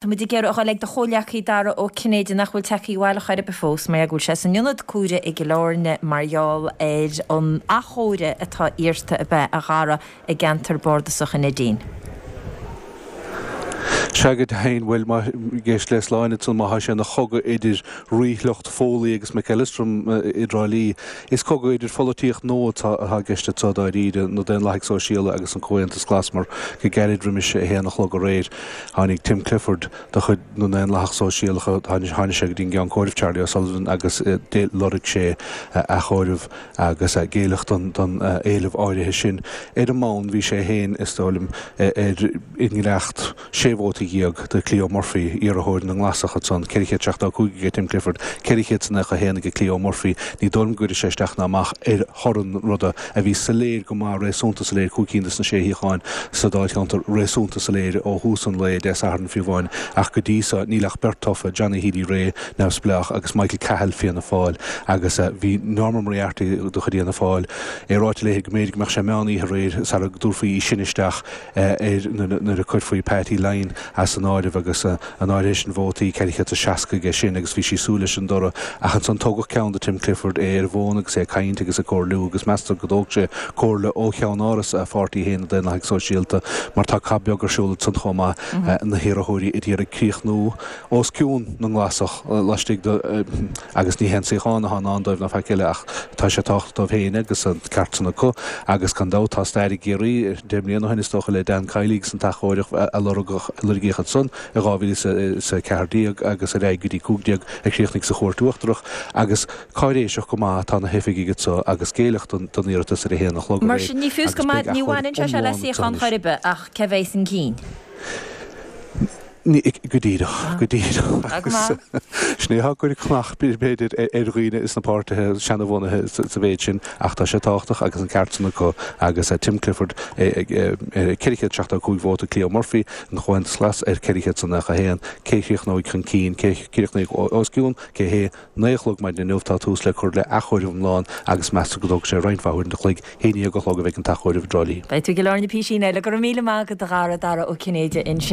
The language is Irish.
Tá muid ag iarraidh a dhul ag do chomhleacaí Dara Ó Cinnéide nach bhfuil tagtha abhaile chor ar bith fós mar go bhfuil sé san ionad cúire i gCill Airne mar gheall ar an athchomhaireamh atá iarrta ab ea a Dhara i gceantar bardasach an Neidín. Sea go deimhin, bhuel, má éist le Sláine ansan, má thá sé ina chogadh idir ríshliocht Foley agus McEllistrim i dTrá Lí, is cogadh idir pholaitíocht nua atá i gceist anso dáiríre, na Daonlathaigh Sóisialaigh agus an Comhaontas Glas, mar go gairid roimis a haon a chlog aréir, Tháinig Tim Clifford de chuid na nDaonlathach Sóisialach, tháinig sé go dtí an gceann comhairimh, Charlie O'Sullivan, agus lorg sé athchomhaireamh agus géilleadh don éileamh áirithe sin. Ar an mbonn, bhí sé féin, is dóigh liom, ar i ngiorracht sé vóta do Cleo Murphy, iarrthóir na nGlasach ansan, 475 aige Tim Clifford, 491 aige Cleo Murphy. Ní dóigh liom go gcuirfidh sé isteach ná amach ar thoradh an ruda. a bhí soiléir go maith, réasúnta soiléir, 5 cinn de na sé shuíochán sa Dáilcheantar réasúnta soiléir ó thús an lae, Dé Sathairn fiú amháin, ach go dtí so níl ach beirt tofa, Johnny Healy-Rae, Neamhspleách, agus Michael Cahill, Fianna Fáil, agus bhí Norma Moriarty de chuid Fhianna Fáil, é ráite léi go mb'fhéidir go mbeadh sé meán oíche aréir sara dtabharfaí í sin isteach ar nuair a cuirfí Patty Lyne as an áireamh agus an áirithe sin vótaí, 460 aige sin agus bhí sí ag súil leis an dtoradh ach ansan tógadh ceann de Tim Clifford, é ar an bhfón agus é ag caint agus ag comhairliú agus meastar go dtóg sé comhairle ó cheann-áras a pháirtí féin, na Daonlathaigh Sóisialta, mar tá cath beag ar siúl ansan chomh maith, na hiarrthóirí a d'iarraidh críochnú os cionn na nGlasach laistigh de agus ní haon suíochán atá i ndán dóibh ná faic eile ach tá sé tábhachtach dóibh féin agus an ceart san acu agus gan dabht tá stair i gCiarraí 10 mbliana ó shin is dócha le Dan Kiely agus an t-athchomhaireamh a lorgaíodh ansan i 2014 agus ar aghaidh go dtí 15 a chríochnaigh sa Chúirt Uachtarach agus cáiréiseach go maith atá na hoifigigh anso agus géilleadh don iarratas ar a haon a chlog Mar aréir sin ní fios go agus beidh ní bhaineann sé seo le athchomhaireamh iomlán iomlán suíochán chor ar bith ach cé bheidh chun cinn. Go díreach, go díreach. Agus sin é atá ag cur cnach, b'fhéidir, ar dhaoine sna páirtithe seanabhunaithe sa mhéid sin, ach tá sé tábhachtach agus an ceart san acu agus Tim Clifford ar 475 vóta, Cleo Murphy, an Chomhaontas Glas, ar 491. Cé chríochnóidh chun cinn, cé chríochnóidh os cionn, cé hé? 9 a chlog maidin inniu tá tús le cur le athchomhaireamh iomlán agus meastar go dtógfaidh sé roinnt mhaith uaireanta an chloig, 11 a chlog a bheidh an t-athchomhaireamh i dTrá Lí. Beidh tú i gCill Airne písín eile. Go raibh míle maith agat a Dhara, Dara Ó Cinnéide ansin.